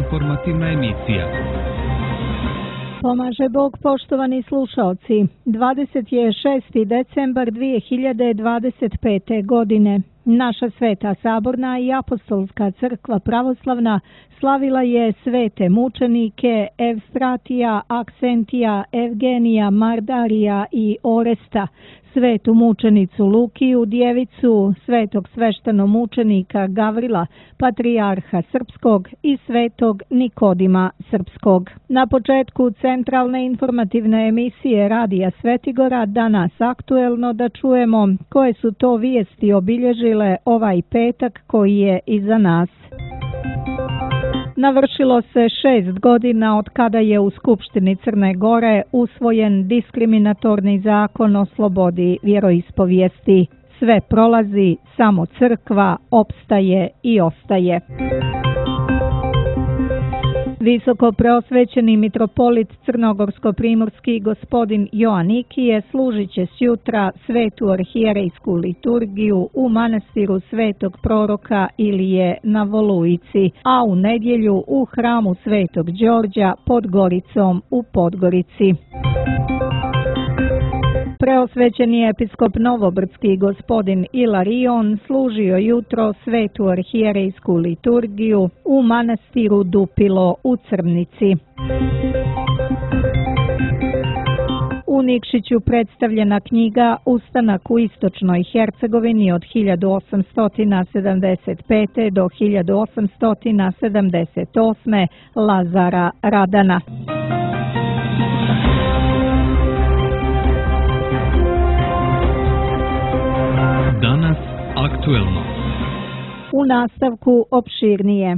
informativna emisija. Pomaže Bog, poštovani slušalci. 26. decembar 2025. godine. Naša Sveta Saborna i Apostolska crkva pravoslavna slavila je svete mučenike Evstratija, Aksentija, Evgenija, Mardarija i Oresta, svetu mučenicu Lukiju, djevicu svetog sveštenomučenika Gavrila, patrijarha srpskog i svetog Nikodima srpskog. Na početku centralne informativne emisije Radija Svetigora danas aktuelno da čujemo koje su to vijesti obilježile ovaj petak koji je iza nas. Navršilo se 6 godina od kada je u Skupštini Crne Gore usvojen diskriminatorni zakon o slobodi vjeroispovijesti. Sve prolazi, samo crkva opstaje i ostaje. Visoko preosvećeni mitropolit crnogorsko-primorski gospodin Joanikije služit će sjutra svetu arhijerejsku liturgiju u manastiru svetog proroka Ilije na Volujici, a u nedjelju u hramu svetog Đorđa pod Goricom u Podgorici. Preosvećeni episkop Novobrdski gospodin Ilarion služio jutro svetu arhijerejsku liturgiju u manastiru Dupilo u Crnici. U Nikšiću predstavljena knjiga Ustanak u istočnoj Hercegovini od 1875. do 1878. Lazara Radana. Danas aktuelno. U nastavku opširnije.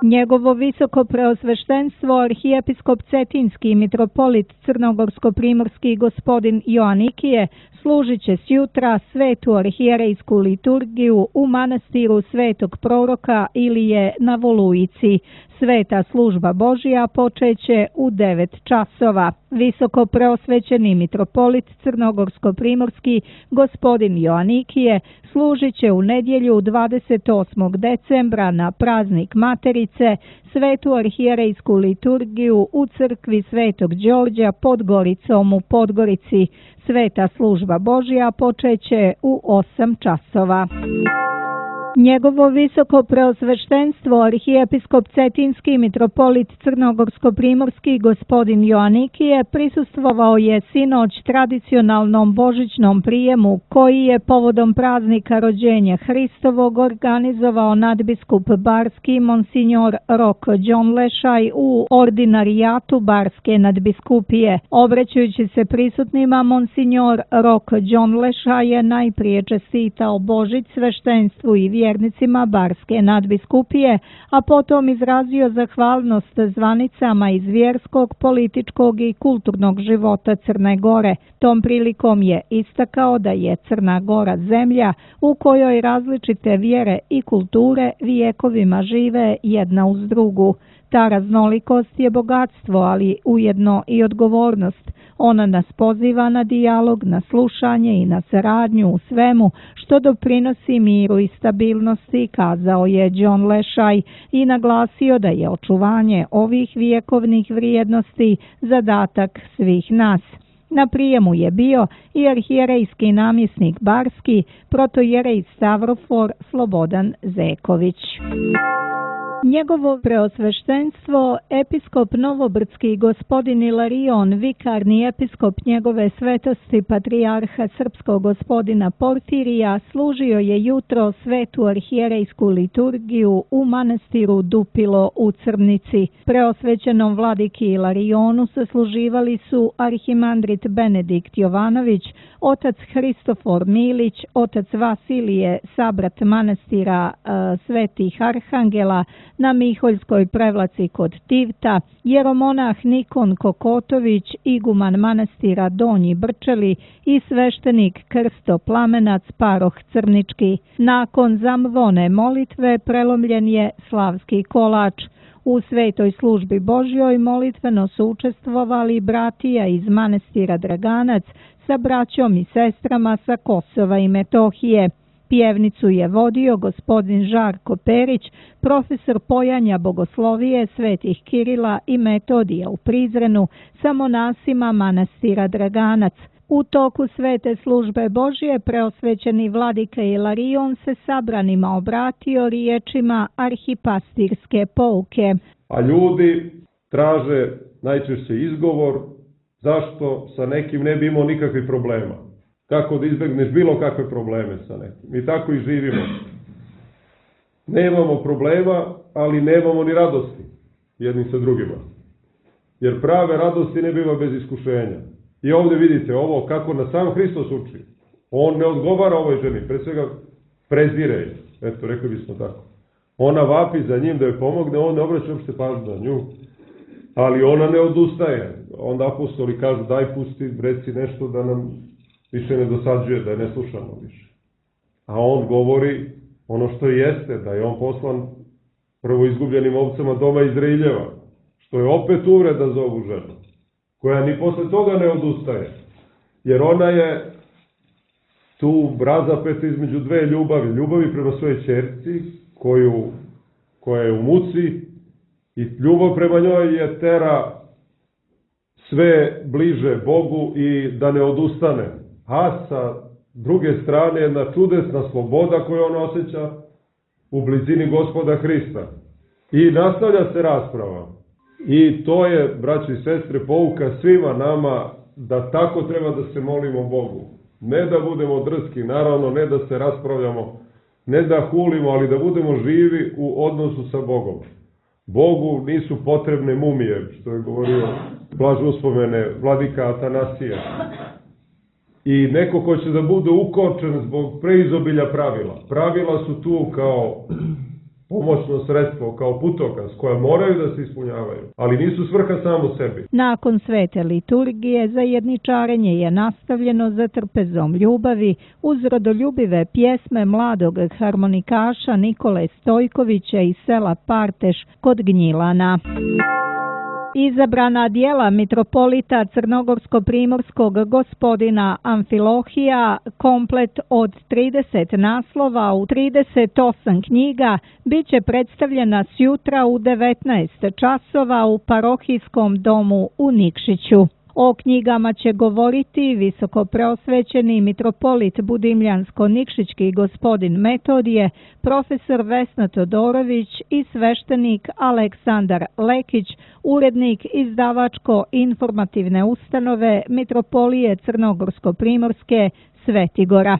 Njegovo visoko preosveštenstvo arhijepiskop Cetinski mitropolit crnogorsko-primorski gospodin Joanikije služit će sjutra svetu arhijerejsku liturgiju u manastiru svetog proroka Ilije na Volujici. Sveta služba Božja počeće u 9 časova. Visoko preosvećeni mitropolit crnogorsko-primorski gospodin Joanikije služit će u nedjelju 28. decembra na praznik Materice svetu arhijerejsku liturgiju u crkvi svetog Đorđa pod Goricom u Podgorici. Sveta služba Božja počeće u 8 časova. Njegovo visoko preosveštenstvo arhijepiskop Cetinski mitropolit crnogorsko-primorski gospodin Joanikije prisustvovao je sinoć tradicionalnom božićnom prijemu koji je povodom praznika rođenja Hristovog organizovao nadbiskup Barski Monsignor Rok Đonlešaj u ordinarijatu Barske nadbiskupije. Obraćajući se prisutnima, Monsignor Rok Đonlešaj je najprije čestitao Božić sveštenstvu i vjernicima Barske nadbiskupije, a potom izrazio zahvalnost zvanicama iz vjerskog, političkog i kulturnog života Crne Gore. Tom prilikom je istakao da je Crna Gora zemlja u kojoj različite vjere i kulture vijekovima žive jedna uz drugu. Ta raznolikost je bogatstvo, ali ujedno i odgovornost. Ona nas poziva na dijalog, na slušanje i na saradnju u svemu što doprinosi miru i stabilnosti, kazao je Đonlešaj i naglasio da je očuvanje ovih vjekovnih vrijednosti zadatak svih nas. Na prijemu je bio i arhijerejski namjesnik Barski, protojerej Stavrofor Slobodan Zeković. Njegovo preosveštenstvo, episkop Novobrdski gospodin Ilarion, vikarni episkop njegove svetosti patrijarha srpskog gospodina Porfirija, služio je jutro svetu arhijerejsku liturgiju u manastiru Dupilo u Crnici. Preosvećenom vladiki Ilarionu sasluživali su arhimandrit Benedikt Jovanović, otac Hristofor Milić, otac Vasilije, sabrat manastira Svetih Arhangela na Miholjskoj prevlaci kod Tivta, jeromonah Nikon Kokotović, iguman manastira Donji Brčeli i sveštenik Krsto Plamenac, paroh Crnički. Nakon zamvone molitve prelomljen je slavski kolač. U svetoj službi Božjoj molitveno su učestvovali bratija iz manastira Draganac sa braćom i sestrama sa Kosova i Metohije. Pjevnicu je vodio gospodin Žarko Perić, profesor pojanja bogoslovije svetih Kirila i Metodija u Prizrenu sa monasima manastira Draganac. U toku svete službe Božje preosvećeni vladika Ilarion se sabranima obratio riječima arhipastirske pouke. A ljudi traže najčešće izgovor zašto sa nekim ne bi imao nikakvih problema. Kako da izbegneš bilo kakve probleme sa nekim. Mi tako i živimo. Nemamo problema, ali nemamo ni radosti jednim sa drugima. Jer prave radosti ne biva bez iskušenja. I ovdje vidite ovo kako na sam Hristos uči. On ne odgovara ovoj ženi, pre svega prezire je. Eto, rekli bismo tako. Ona vapi za njim da joj pomogne, on ne obraća uopšte pažnju na nju. Ali ona ne odustaje. Onda apostoli kažu daj pusti, reci nešto da nam više ne dosađuje, da je ne slušamo više. A on govori ono što jeste, da je on poslan prvo izgubljenim ovcama doma Izraeljeva, što je opet uvreda za ovu ženu, koja ni posle toga ne odustaje. Jer ona je tu razapeta između dve ljubavi. Ljubavi prema svojoj ćerci, koja je u muci, i ljubav prema njoj je tera sve bliže Bogu i da ne odustane. A sa druge strane jedna čudesna sloboda koju on osjeća u blizini Gospoda Hrista. I nastavlja se rasprava. I to je, braći i sestre, pouka svima nama da tako treba da se molimo Bogu. Ne da budemo drski, naravno, ne da se raspravljamo, ne da hulimo, ali da budemo živi u odnosu sa Bogom. Bogu nisu potrebne mumije, što je govorio blaž uspomene vladika Atanasija. I neko ko će da bude ukočen zbog preizobilja pravila. Pravila su tu kao pomoćno sredstvo, kao putokaz, koja moraju da se ispunjavaju, ali nisu svrha samo sebi. Nakon svete liturgije zajedničarenje je nastavljeno za trpezom ljubavi uz rodoljubive pjesme mladog harmonikaša Nikole Stojkovića iz sela Parteš kod Gnjilana. Izabrana djela mitropolita crnogorsko-primorskog gospodina Amfilohija, komplet od 30 naslova u 38 knjiga, bit će predstavljena sjutra u 19 časova u parohijskom domu u Nikšiću. O knjigama će govoriti visokopreosvećeni mitropolit Budimljansko-Nikšićki gospodin Metodije, profesor Vesna Todorović i sveštenik Aleksandar Lekić, urednik izdavačko-informativne ustanove Mitropolije Crnogorsko-Primorske Svetigora.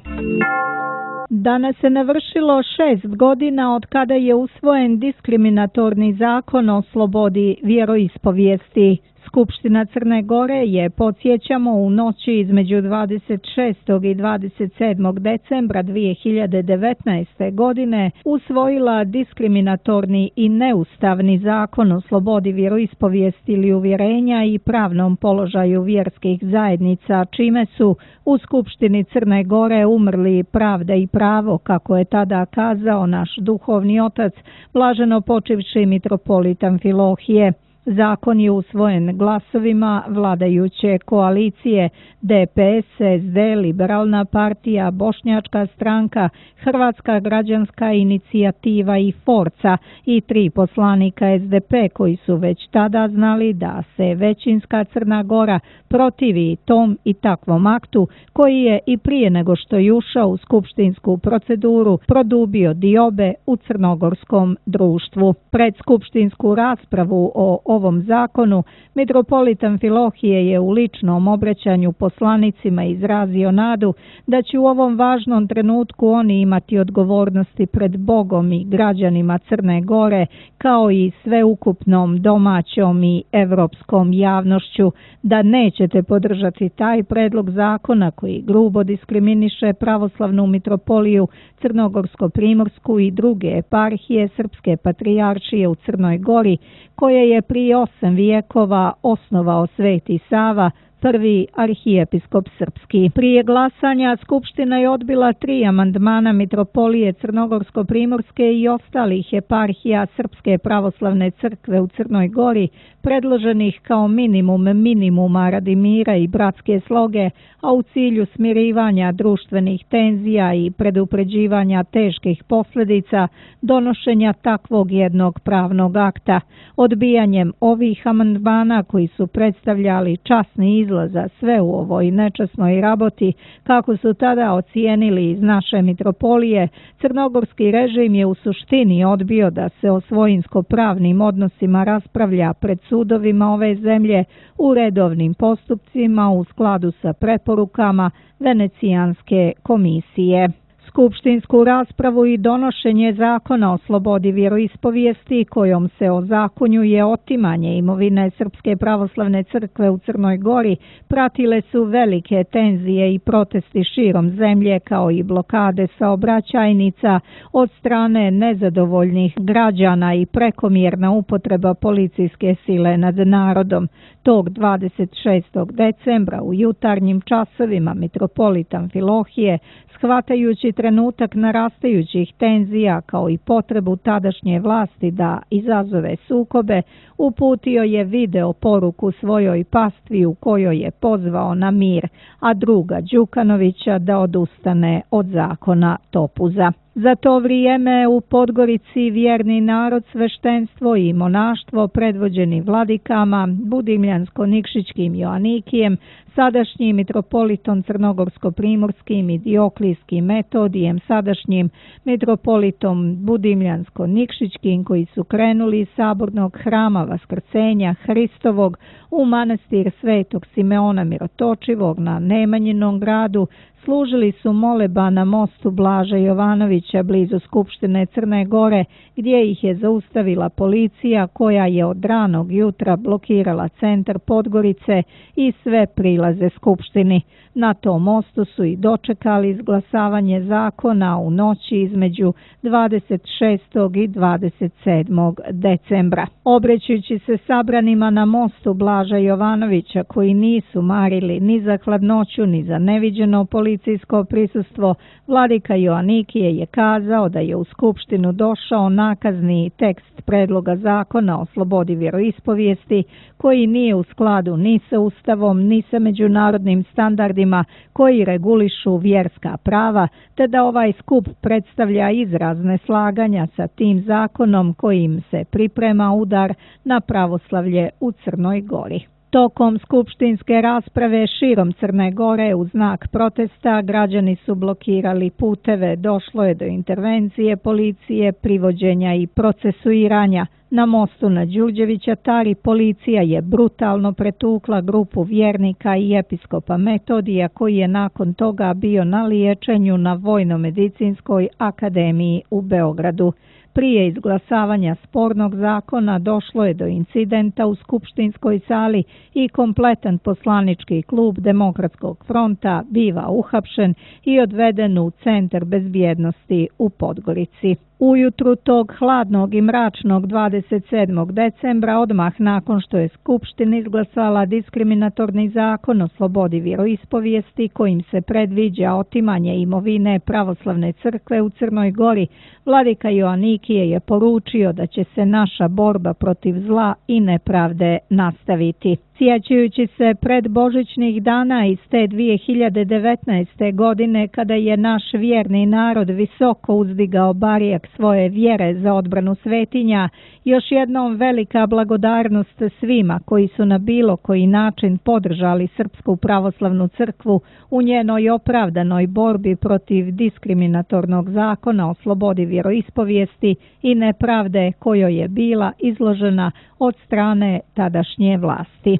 Danas se navršilo 6 godina od kada je usvojen diskriminatorni zakon o slobodi vjeroispovijesti. Skupština Crne Gore je, podsjećamo, u noći između 26. i 27. decembra 2019. godine usvojila diskriminatorni i neustavni zakon o slobodi vjeroispovijesti ili uvjerenja i pravnom položaju vjerskih zajednica, čime su u Skupštini Crne Gore umrli pravda i pravo, kako je tada kazao naš duhovni otac, blaženo počivši mitropolit Amfilohije. Zakon je usvojen glasovima vladajuće koalicije DPS, SD, Liberalna partija, Bošnjačka stranka, Hrvatska građanska inicijativa i Forca i 3 poslanika SDP koji su već tada znali da se većinska Crna Gora protivi tom i takvom aktu koji je i prije nego što je ušao u skupštinsku proceduru produbio diobe u crnogorskom društvu. Pred skupštinsku raspravu o ovom zakonu, mitropolit Amfilohije je u ličnom obraćanju poslanicima izrazio nadu da će u ovom važnom trenutku oni imati odgovornosti pred Bogom i građanima Crne Gore, kao i sveukupnom domaćom i evropskom javnošću, da nećete podržati taj predlog zakona koji grubo diskriminiše pravoslavnu mitropoliju Crnogorsko-Primorsku i druge eparhije Srpske patrijaršije u Crnoj Gori, koje je prije 8 vijekova osnovao Sveti Sava, prvi arhijepiskop srpski. Prije glasanja Skupština je odbila 3 amandmana Mitropolije Crnogorsko-primorske i ostalih eparhija Srpske pravoslavne crkve u Crnoj Gori, predloženih kao minimum minimuma radi mira i bratske sloge, a u cilju smirivanja društvenih tenzija i predupređivanja teških posljedica donošenja takvog jednog pravnog akta. Odbijanjem ovih amandmana koji su predstavljali časni izlaz za sve u ovoj nečasnoj raboti, kako su tada ocijenili iz naše mitropolije, crnogorski režim je u suštini odbio da se o svojinsko-pravnim odnosima raspravlja pred sudovima ove zemlje u redovnim postupcima u skladu sa preporukama Venecijanske komisije. Skupštinsku raspravu i donošenje zakona o slobodi vjeroispovijesti kojom se ozakonjuje otimanje imovine Srpske pravoslavne crkve u Crnoj Gori pratile su velike tenzije i protesti širom zemlje kao i blokade saobraćajnica od strane nezadovoljnih građana i prekomjerna upotreba policijske sile nad narodom. Tog 26. decembra u jutarnjim časovima mitropolit Amfilohije, shvatajući trenutak narastajućih tenzija kao i potrebu tadašnje vlasti da izazove sukobe, uputio je video poruku svojoj pastvi u kojoj je pozvao na mir, a druga Đukanovića da odustane od zakona Topuza. Za to vrijeme u Podgorici vjerni narod, sveštenstvo i monaštvo predvođeni vladikama Budimljansko-Nikšićkim Joanikijem, sadašnjim mitropolitom Crnogorsko-primorskim i Dioklijskim Metodijem, sadašnjim mitropolitom Budimljansko-Nikšićkim, koji su krenuli iz sabornog hrama Vaskrsenja Hristovog u manastir Svetog Simeona Mirotočivog na Nemanjinom gradu, služili su moleba na mostu Blaža Jovanovića blizu Skupštine Crne Gore, gdje ih je zaustavila policija koja je od ranog jutra blokirala centar Podgorice i sve prilaze Skupštini. Na tom mostu su i dočekali izglasavanje zakona u noći između 26. i 27. decembra. Obrećujući se sabranima na mostu Blaža Jovanovića koji nisu marili ni za hladnoću ni za neviđeno policijsko prisustvo, vladika Joanikije je kazao da je u Skupštinu došao nakazni tekst predloga zakona o slobodi vjeroispovijesti koji nije u skladu ni sa Ustavom ni sa međunarodnim standardima koji regulišu vjerska prava, te da ovaj skup predstavlja izraz neslaganja sa tim zakonom kojim se priprema udar na pravoslavlje u Crnoj Gori. Tokom skupštinske rasprave širom Crne Gore u znak protesta građani su blokirali puteve, došlo je do intervencije policije, privođenja i procesuiranja. Na mostu na Đurđevića Tari policija je brutalno pretukla grupu vjernika i episkopa Metodija koji je nakon toga bio na liječenju na Vojno-medicinskoj akademiji u Beogradu. Prije izglasavanja spornog zakona došlo je do incidenta u skupštinskoj sali i kompletan poslanički klub Demokratskog fronta biva uhapšen i odveden u centar bezbjednosti u Podgorici. Ujutru tog hladnog i mračnog 27. decembra, odmah nakon što je Skupština izglasala diskriminatorni zakon o slobodi vjeroispovijesti kojim se predviđa otimanje imovine pravoslavne crkve u Crnoj Gori, vladika Joanikije je poručio da će se naša borba protiv zla i nepravde nastaviti. Sjećajući se predbožićnih dana iz te 2019. godine kada je naš vjerni narod visoko uzdigao barijak svoje vjere za odbranu svetinja, još jednom velika blagodarnost svima koji su na bilo koji način podržali Srpsku pravoslavnu crkvu u njenoj opravdanoj borbi protiv diskriminatornog zakona o slobodi vjeroispovijesti i nepravde kojoj je bila izložena od strane tadašnje vlasti.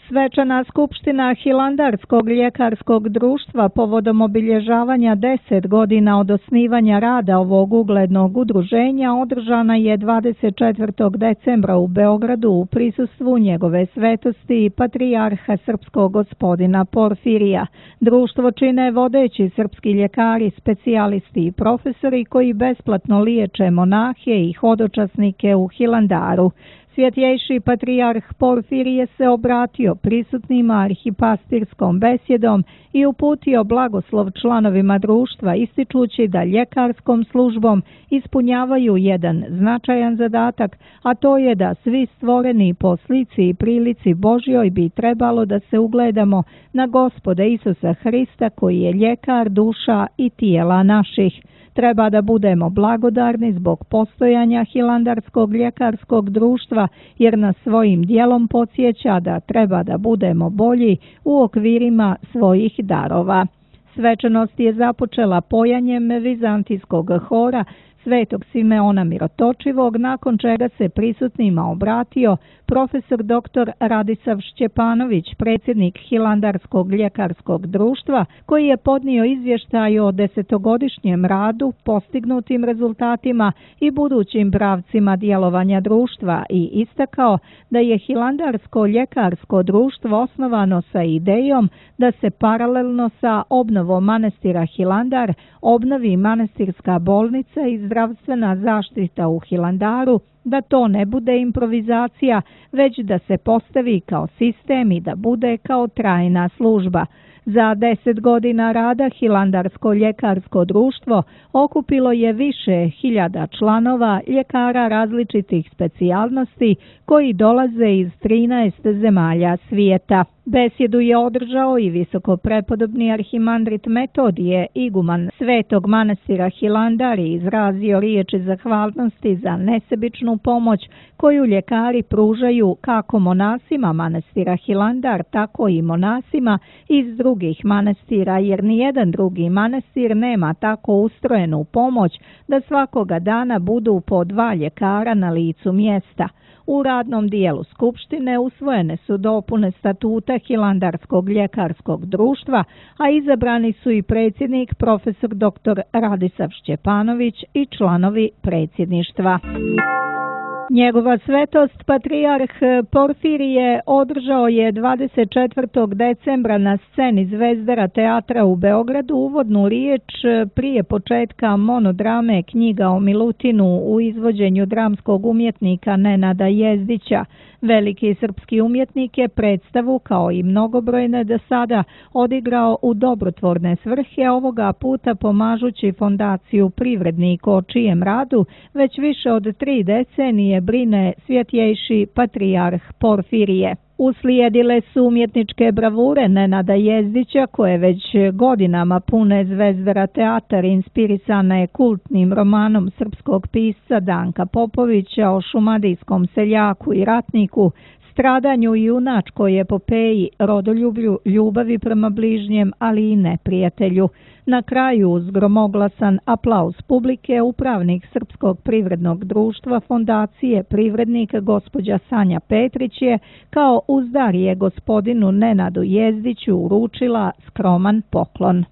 Svečana skupština Hilandarskog ljekarskog društva povodom obilježavanja 10 godina od osnivanja rada ovog uglednog udruženja održana je 24. decembra u Beogradu u prisustvu njegove svetosti i patrijarha srpskog gospodina Porfirija. Društvo čine vodeći srpski ljekari, specijalisti i profesori koji besplatno liječe monahe i hodočasnike u Hilandaru. Svjetjejši patrijarh Porfirije se obratio prisutnima arhipastirskom besjedom i uputio blagoslov članovima društva, ističući da ljekarskom službom ispunjavaju jedan značajan zadatak, a to je da svi stvoreni po slici i prilici Božjoj bi trebalo da se ugledamo na Gospoda Isusa Hrista, koji je ljekar duša i tijela naših. Treba da budemo blagodarni zbog postojanja Hilandarskog ljekarskog društva, jer nas svojim dijelom podsjeća da treba da budemo bolji u okvirima svojih darova. Svečanost je započela pojanjem vizantijskog hora Svetog Simeona Mirotočivog, nakon čega se prisutnima obratio profesor dr. Radisav Šćepanović, predsjednik Hilandarskog ljekarskog društva, koji je podnio izvještaj o 10-godišnjem radu, postignutim rezultatima i budućim pravcima djelovanja društva i istakao da je Hilandarsko ljekarsko društvo osnovano sa idejom da se paralelno sa obnovom manastira Hilandar obnovi manastirska bolnica i zdravstvena zaštita u Hilandaru, da to ne bude improvizacija, već da se postavi kao sistem i da bude kao trajna služba. Za 10 godina rada Hilandarsko ljekarsko društvo okupilo je više hiljada članova, ljekara različitih specijalnosti koji dolaze iz 13 zemalja svijeta. Besjedu je održao i visokoprepodobni arhimandrit Metodije, iguman Svetog manastira Hilandar, i izrazio riječi zahvalnosti za nesebičnu pomoć koju ljekari pružaju kako monasima manastira Hilandar, tako i monasima iz drugih manastira, jer nijedan drugi manastir nema tako ustrojenu pomoć da svakoga dana budu po 2 ljekara na licu mjesta. U radnom dijelu Skupštine usvojene su dopune statuta Hilandarskog ljekarskog društva, a izabrani su i predsjednik profesor dr. Radisav Šćepanović i članovi predsjedništva. Njegova svetost patrijarh Porfirije održao je 24. decembra na sceni Zvezdara teatra u Beogradu uvodnu riječ prije početka monodrame Knjiga o Milutinu u izvođenju dramskog umjetnika Nenada Jezdića. Veliki srpski umjetnik je predstavu, kao i mnogobrojne do sada, odigrao u dobrotvorne svrhe, ovoga puta pomažući fondaciju Privrednik, o čijem radu već više od 3 decenije brine svjetjejši patrijarh Porfirije. Uslijedile su umjetničke bravure Nenada Jezdića, koje već godinama pune Zvezdara teatar, inspirisane kultnim romanom srpskog pisca Danka Popovića o šumadijskom seljaku i ratniku, stradanju i junačkoj epopeji, rodoljublju, ljubavi prema bližnjem, ali i neprijatelju. Na kraju, uz gromoglasan aplauz publike, upravnik Srpskog privrednog društva fondacije Privrednik, gospođa Sanja Petrić, je kao uzdarije gospodinu Nenadu Jezdiću uručila skroman poklon.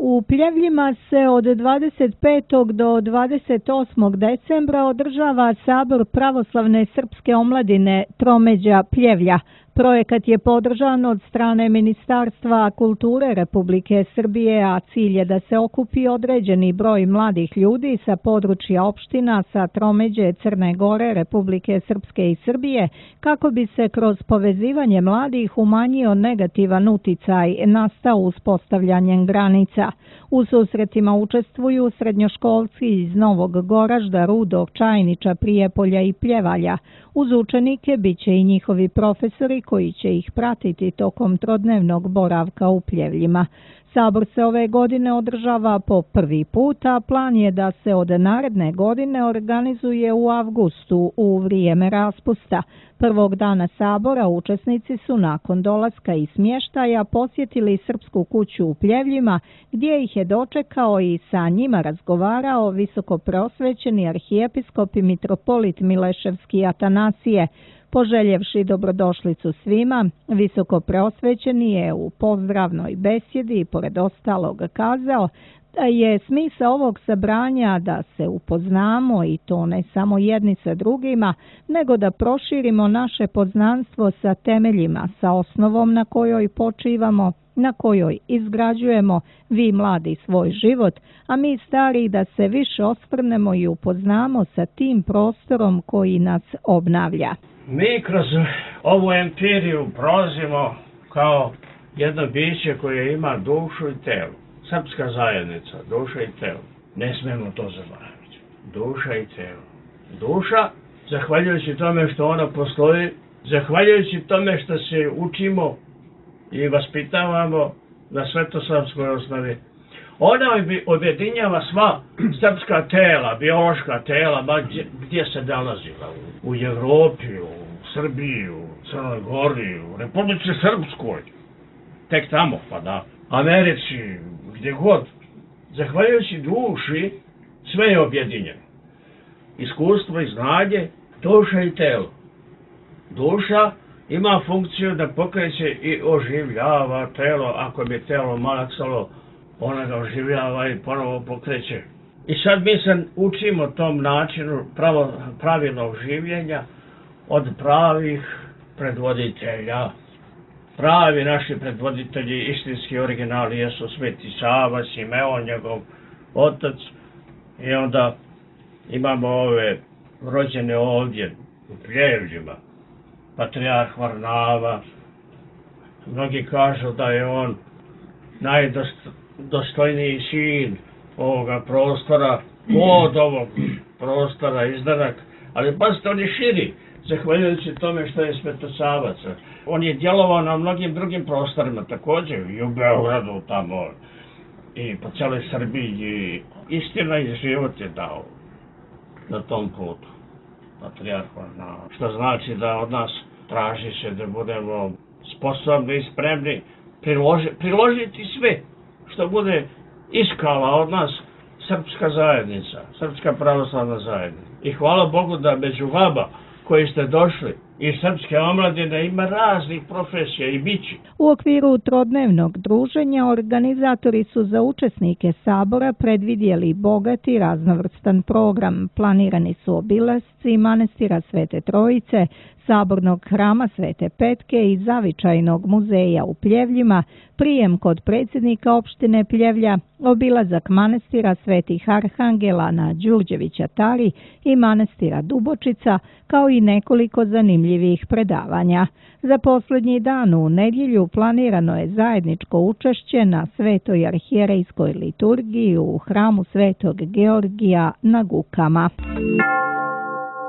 U Pljevljima se od 25. do 28. decembra održava Sabor pravoslavne srpske omladine Tromeđa Pljevlja. Projekat je podržan od strane Ministarstva kulture Republike Srbije, a cilj je da se okupi određeni broj mladih ljudi sa područja opština sa tromeđe Crne Gore, Republike Srpske i Srbije, kako bi se kroz povezivanje mladih umanjio negativan uticaj nastao uspostavljanjem granica. U susretima učestvuju srednjoškolci iz Novog Goražda, Rudog, Čajniča, Prijepolja i Pljevalja. Uz učenike bit će i njihovi profesori koji će ih pratiti tokom trodnevnog boravka u Pljevljima. Sabor se ove godine održava po prvi put, a plan je da se od naredne godine organizuje u avgustu u vrijeme raspusta. Prvog dana Sabora učesnici su nakon dolaska i smještaja posjetili Srpsku kuću u Pljevljima, gdje ih je dočekao i sa njima razgovarao visokopreosvećeni arhijepiskop i mitropolit Mileševski Atanasije. Poželjevši dobrodošlicu svima, visokopreosvećeni je u pozdravnoj besjedi pored ostalog kazao da je smisao ovog sabranja da se upoznamo, i to ne samo jedni sa drugima, nego da proširimo naše poznanstvo sa temeljima, sa osnovom na kojoj počivamo, na kojoj izgrađujemo vi mladi svoj život, a mi stari da se više osvrnemo i upoznamo sa tim prostorom koji nas obnavlja. Mi kroz ovu empiriju prolazimo kao jedno biće koje ima dušu i telo. Srpska zajednica, duša i telo. Ne smemo to zaboraviti. Duša i telo. Duša, zahvaljujući tome što ona postoji, zahvaljujući tome što se učimo i vaspitavamo na svetosavskoj osnovi, ona objedinjava sva srpska tela, biološka tela, gdje se nalazila. U Evropi, u Srbiji, u Crnoj Gori, u Republici Srpskoj. Tek tamo, pa da. Americi, gdje god. Zahvaljujući duši, sve je objedinjeno. Iskustvo i znanje, duša i telo. Duša ima funkciju da pokreće i oživljava telo. Ako bi telo malaksalo, ona ga oživljava i ponovo pokreće. I sad mi se učimo tom načinu pravilnog življenja od pravih predvoditelja. Pravi naši predvoditelji, istinski originali, jesu Sveti Sava, Simeon, njegov otac. I onda imamo ove rođene ovdje u Pljevljima, patrijarh Varnava. Mnogi kažu da je on najdostojniji sin ovoga prostora, od ovog prostora izdanak, ali pazite, on je širi, zahvaljujući tome što je Svetosavac. On je djelovao na mnogim drugim prostorima također, i u Beogradu tamo, i po cijeloj Srbiji, i istina i život je dao na tom putu, patrijarh Varnava. Što znači da od nas traži se da budemo sposobni i spremni priložiti sve što bude iskala od nas srpska zajednica, srpska pravoslavna zajednica. I hvala Bogu da među vama koji ste došli iz srpske omladine ima raznih profesija i bići. U okviru trodnevnog druženja organizatori su za učesnike sabora predvidjeli bogat i raznovrstan program. Planirani su obilasci manastira Svete Trojice, sabornog hrama Svete Petke i zavičajnog muzeja u Pljevljima, prijem kod predsjednika opštine Pljevlja, obilazak manastira Svetih Arhangela na Đurđevića Tari i manastira Dubočica, kao i nekoliko zanimljivih predavanja. Za posljednji dan u nedjelju planirano je zajedničko učešće na Svetoj arhijerejskoj liturgiji u hramu Svetog Georgija na Gukama.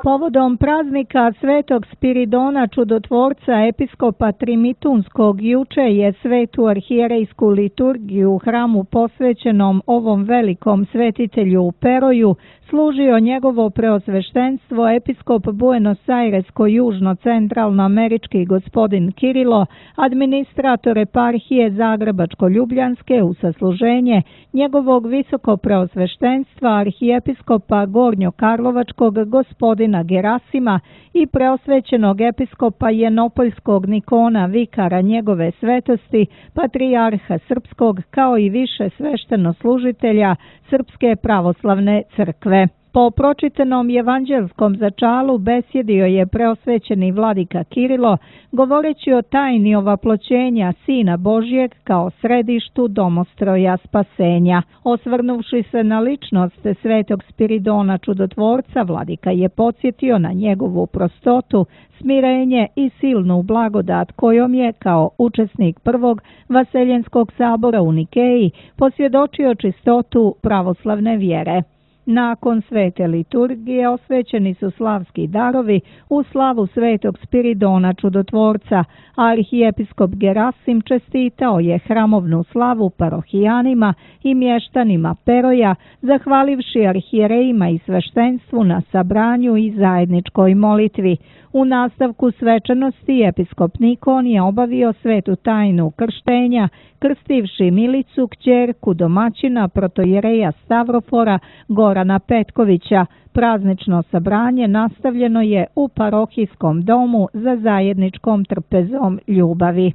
Povodom praznika Svetog Spiridona Čudotvorca episkopa Trimitunskog juče je Svetu arhijerejsku liturgiju u hramu posvećenom ovom velikom svetitelju u Peroju služio njegovo preosveštenstvo episkop Buenos Airesko-južno-centralnoamerički gospodin Kirilo, administrator eparhije Zagrebačko-Ljubljanske u sasluženje njegovog visoko preosveštenstva arhijepiskopa Gornjo-Karlovačkog gospodina Gerasima i preosvećenog episkopa Jenopoljskog Nikona vikara njegove svetosti, patrijarha srpskog, kao i više sveštenoslужitelja Srpske pravoslavne crkve. Po pročitanom evanđelskom začalu besjedio je preosvećeni vladika Kirilo, govoreći o tajni ovaploćenja Sina Božjeg kao središtu domostroja spasenja. Osvrnuvši se na ličnost Svetog Spiridona Čudotvorca, vladika je podsjetio na njegovu prostotu, smirenje i silnu blagodat kojom je, kao učesnik prvog Vaseljenskog sabora u Nikeji, posvjedočio čistotu pravoslavne vjere. Nakon svete liturgije osvećeni su slavski darovi u slavu Svetog Spiridona Čudotvorca, a arhijepiskop Gerasim čestitao je hramovnu slavu parohijanima i mještanima Peroja, zahvalivši arhijerejima i sveštenstvu na sabranju i zajedničkoj molitvi. U nastavku svečanosti episkop Nikon je obavio svetu tajnu krštenja, krstivši Milicu, kćerku domaćina protojereja Stavrofora Gorana Petkovića. Praznično sabranje nastavljeno je u parohijskom domu za zajedničkom trpezom ljubavi.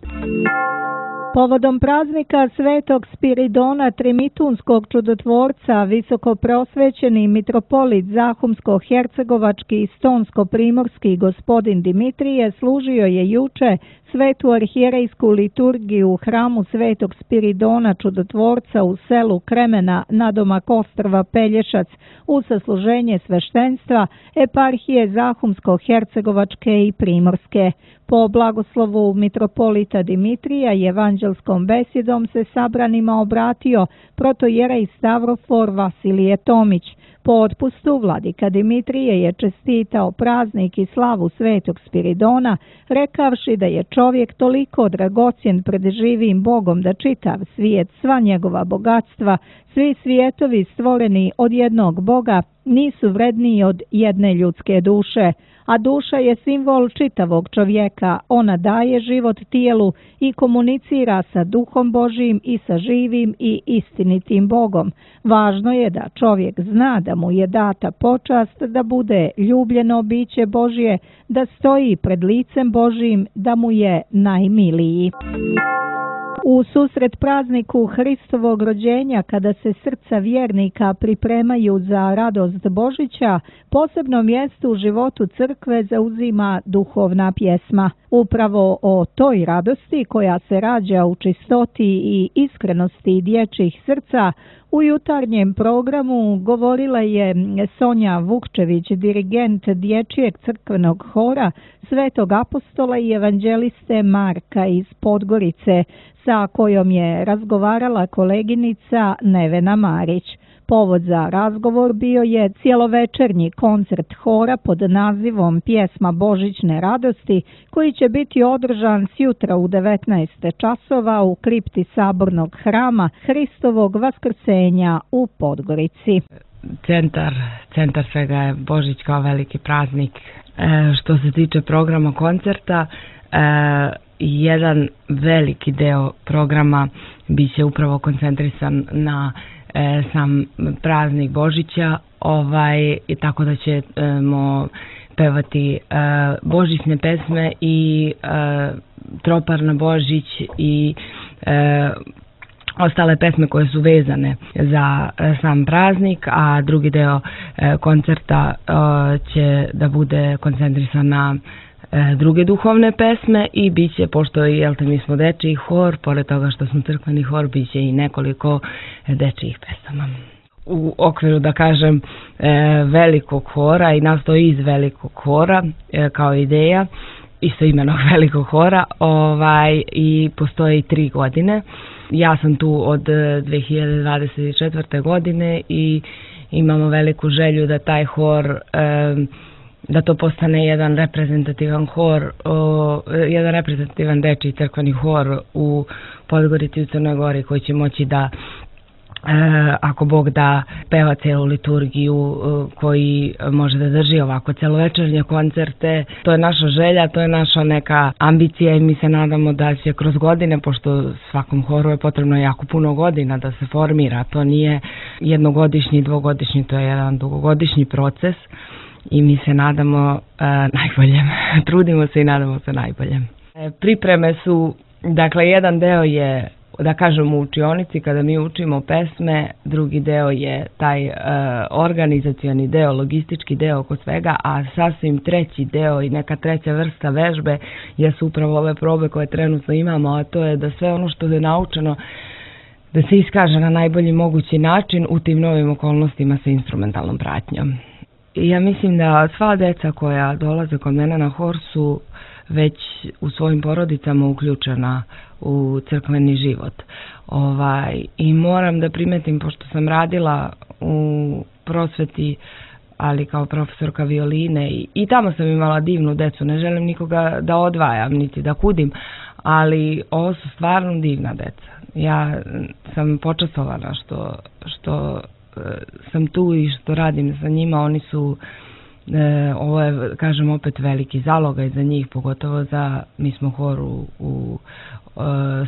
Povodom praznika Svetog Spiridona Trimitunskog čudotvorca, visoko preosvećeni mitropolit Zahumsko-hercegovački i stonsko-primorski gospodin Dimitrije služio je juče Svetu arhijerejsku liturgiju u hramu Svetog Spiridona Čudotvorca u selu Kremena nadomak ostrva Pelješac u sasluženje sveštenstva eparhije Zahumsko-Hercegovačke i Primorske. Po blagoslovu mitropolita Dimitrija i evanđelskom besedom se sabranima obratio protojerej Stavrofor Vasilije Tomić. Po otpustu vladika Dimitrije je čestitao praznik i slavu Svetog Spiridona, rekavši da je čovjek toliko dragocjen pred živim Bogom da čitav svijet, sva njegova bogatstva, svi svijetovi stvoreni od jednog Boga nisu vredniji od jedne ljudske duše, a duša je simbol čitavog čovjeka. Ona daje život tijelu i komunicira sa Duhom Božijim i sa živim i istinitim Bogom. Važno je da čovjek zna da mu je data počast da bude ljubljeno biće Božje, da stoji pred licem Božijim, da mu je najmiliji. U susret prazniku Hristovog rođenja, kada se srca vjernika pripremaju za radost Božića, posebno mjesto u životu crkve zauzima duhovna pjesma. Upravo o toj radosti koja se rađa u čistoti i iskrenosti dječjih srca u jutarnjem programu govorila je Sonja Vukčević, dirigent dječjeg crkvenog hora Svetog apostola i evanđeliste Marka iz Podgorice, sa kojom je razgovarala koleginica Nevena Marić. Povod za razgovor bio je cijelovečernji koncert hora pod nazivom Pjesma Božićne radosti, koji će biti održan sjutra u 19 časova u kripti Sabornog hrama Hristovog vaskrsenja u Podgorici. Centar svega je Božić kao veliki praznik. Što se tiče programa koncerta, jedan veliki deo programa biće upravo koncentrisan na sam praznik Božića, i tako da ćemo pevati božićne pesme i tropar na Božić i ostale pesme koje su vezane za sam praznik, a drugi deo koncerta će da bude koncentrisan na druge duhovne pesme i bit će, pošto mi smo dečiji hor, pored toga što smo crkveni hor, bit će i nekoliko dečijih pesama. U okviru, da kažem, velikog hora i nastoji iz velikog hora kao ideja, isto imenog velikog hora, i postoje 3 godine. Ja sam tu od 2024. godine i imamo veliku želju da taj hor, da to postane jedan reprezentativan hor, jedan reprezentativan dečiji crkveni hor u Podgorici i u Crnoj Gori, koji će moći da, ako Bog da, peva celu liturgiju, koji može da drži ovako celovečernje koncerte. To je naša želja, to je naša neka ambicija i mi se nadamo da će kroz godine, pošto svakom horu je potrebno jako puno godina da se formira, to nije jednogodišnji, dvogodišnji, to je jedan dugogodišnji proces. I mi se nadamo najboljem. Trudimo se i nadamo se najboljem. Pripreme su, dakle, jedan deo je, da kažem, u učionici kada mi učimo pesme, drugi deo je taj organizacioni deo, logistički deo oko svega, a sasvim treći deo i neka treća vrsta vežbe jesu upravo ove probe koje trenutno imamo, a to je da sve ono što je naučeno da se iskaže na najbolji mogući način u tim novim okolnostima sa instrumentalnom pratnjom. Ja mislim da sva deca koja dolaze kod mene na hor su već u svojim porodicama uključena u crkveni život. I moram da primetim, pošto sam radila u prosveti, ali kao profesorka violine i tamo sam imala divnu decu, ne želim nikoga da odvajam niti da kudim, ali ovo su stvarno divna deca. Ja sam počastovana što sam tu i što radim za njima. Oni su, ovo je, kažem opet, veliki zalogaj za njih, pogotovo mi smo hor u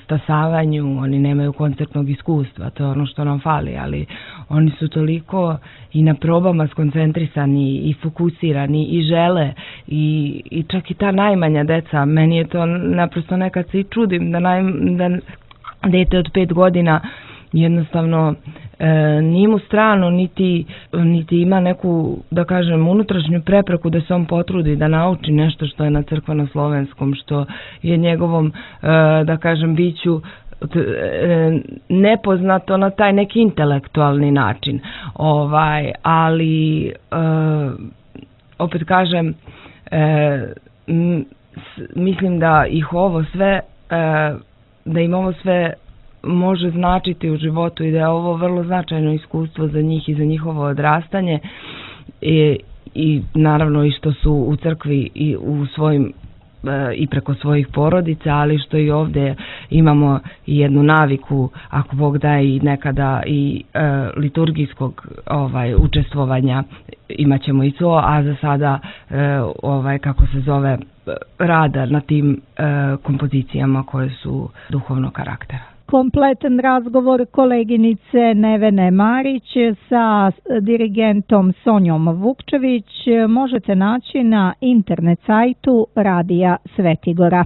stasavanju, oni nemaju koncertnog iskustva, to je ono što nam fali, ali oni su toliko i na probama skoncentrisani i fokusirani i žele i čak i ta najmanja deca, meni je to naprosto, nekad se i čudim da dete od 5 godina jednostavno nije mu strano niti ima neku, da kažem, unutrašnju prepreku da se on potrudi da nauči nešto što je na crkveno-slovenskom, što je njegovom, da kažem, biću nepoznato na taj neki intelektualni način. Ali opet kažem, mislim da ih ovo sve, da im ovo sve može značiti u životu i da je ovo vrlo značajno iskustvo za njih i za njihovo odrastanje i naravno i što su u crkvi i u svojim i preko svojih porodica, ali što i ovdje imamo i jednu naviku, ako Bog da, i nekada i liturgijskog učestvovanja, imat ćemo i to, a za sada kako se zove, rada na tim kompozicijama koje su duhovnog karaktera. Kompletan razgovor koleginice Nevene Marić sa dirigentom Sonjom Vukčević možete naći na internet sajtu Radija Svetigora.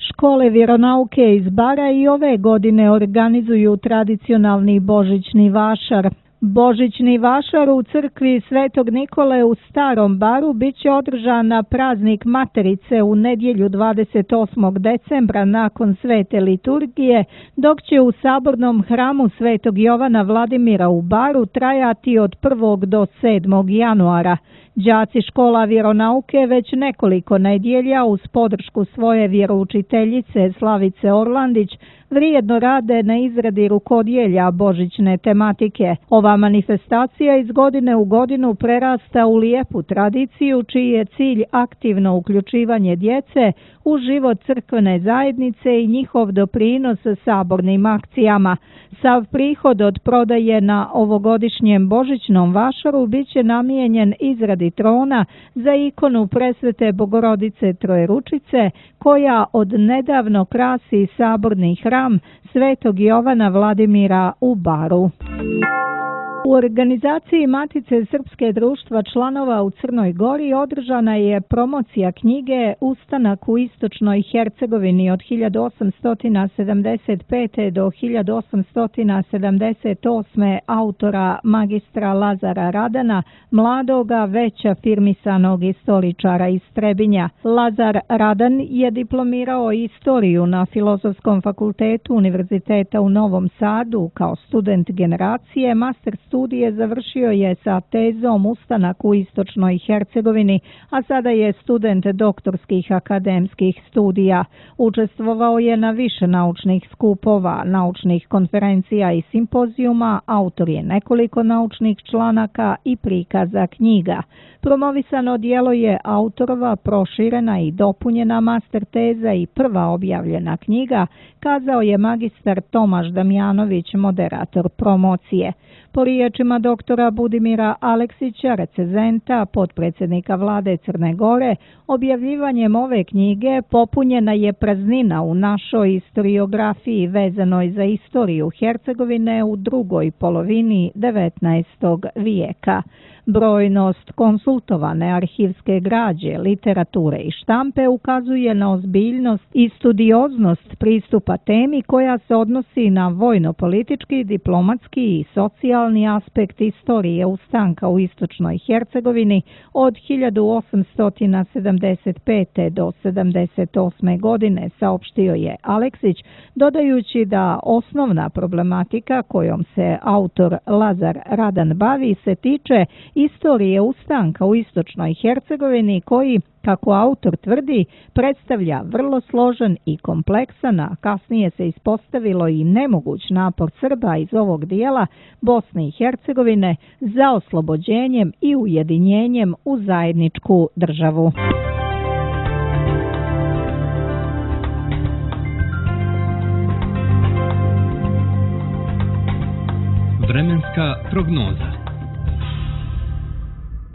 Škole vjeronauke iz Bara i ove godine organizuju tradicionalni božićni vašar. Božićni vašar u crkvi Svetog Nikole u Starom Baru bit će održan na praznik Materice u nedjelju 28. decembra nakon svete liturgije, dok će u sabornom hramu Svetog Jovana Vladimira u Baru trajati od 1. do 7. januara. Đaci škola vjeronauke već nekoliko nedjelja uz podršku svoje vjeroučiteljice Slavice Orlandić vrijedno rade na izradi rukodjelja božićne tematike. Ova manifestacija iz godine u godinu prerasta u lijepu tradiciju čiji je cilj aktivno uključivanje djece u život crkvene zajednice i njihov doprinos sabornim akcijama. Sav prihod od prodaje na ovogodišnjem božićnom vašaru bit će namijenjen izradi trona za ikonu Presvete Bogorodice Trojeručice, koja od nedavno krasi saborni hram Svetog Jovana Vladimira u Baru. U organizaciji Matice Srpske društva članova u Crnoj Gori održana je promocija knjige Ustanak u istočnoj Hercegovini od 1875. do 1878. autora magistra Lazara Radana, mladoga već afirmisanog istoričara iz Trebinja. Lazar Radan je diplomirao istoriju na Filozofskom fakultetu Univerziteta u Novom Sadu kao student generacije, master studije završio je sa tezom Ustanak u istočnoj Hercegovini, a sada je student doktorskih akademskih studija. Učestvovao je na više naučnih skupova, naučnih konferencija i simpozijuma, autor je nekoliko naučnih članaka i prikaza knjiga. Promovisano djelo je autorova proširena i dopunjena master teza i prva objavljena knjiga, kazao je magistar Tomaš Damjanović, moderator promocije. Po riječima doktora Budimira Aleksića, recenzenta, potpredsjednika vlade Crne Gore, objavljivanjem ove knjige popunjena je praznina u našoj historiografiji vezanoj za istoriju Hercegovine u drugoj polovini 19. vijeka. Brojnost konsultovane arhivske građe, literature i štampe ukazuje na ozbiljnost i studioznost pristupa temi koja se odnosi na vojno-politički, diplomatski i socijalni aspekt istorije ustanka u istočnoj Hercegovini od 1875. do 78. godine, saopštio je Aleksić, dodajući da osnovna problematika kojom se autor Lazar Radan bavi se tiče istorije ustanka u istočnoj Hercegovini koji, kako autor tvrdi, predstavlja vrlo složen i kompleksan, a kasnije se ispostavilo i nemoguć napor Srba iz ovog dijela Bosne i Hercegovine za oslobođenjem i ujedinjenjem u zajedničku državu. Vremenska prognoza.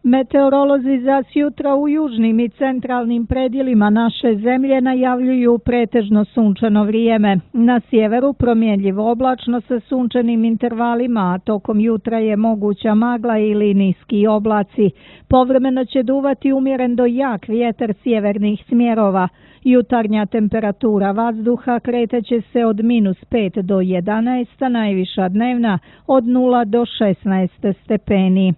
Meteorolozi za sjutra u južnim i centralnim predjelima naše zemlje najavljuju pretežno sunčano vrijeme. Na sjeveru promjenljivo oblačno sa sunčanim intervalima, a tokom jutra je moguća magla ili niski oblaci. Povremeno će duvati umjeren do jak vjetar sjevernih smjerova. Jutarnja temperatura vazduha kretaće se od -5 do 11, a najviša dnevna od 0 do 16 stepeni.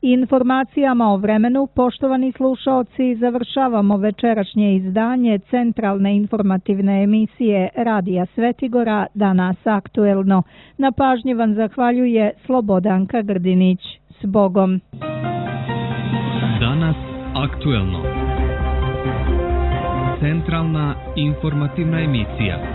Informacijama o vremenu, poštovani slušaoci, završavamo večerašnje izdanje centralne informativne emisije Radija Svetigora, Danas aktuelno. Na pažnji vam zahvaljuje Slobodanka Grdinić. S Bogom! Danas aktuelno. Centralna informativna emisija.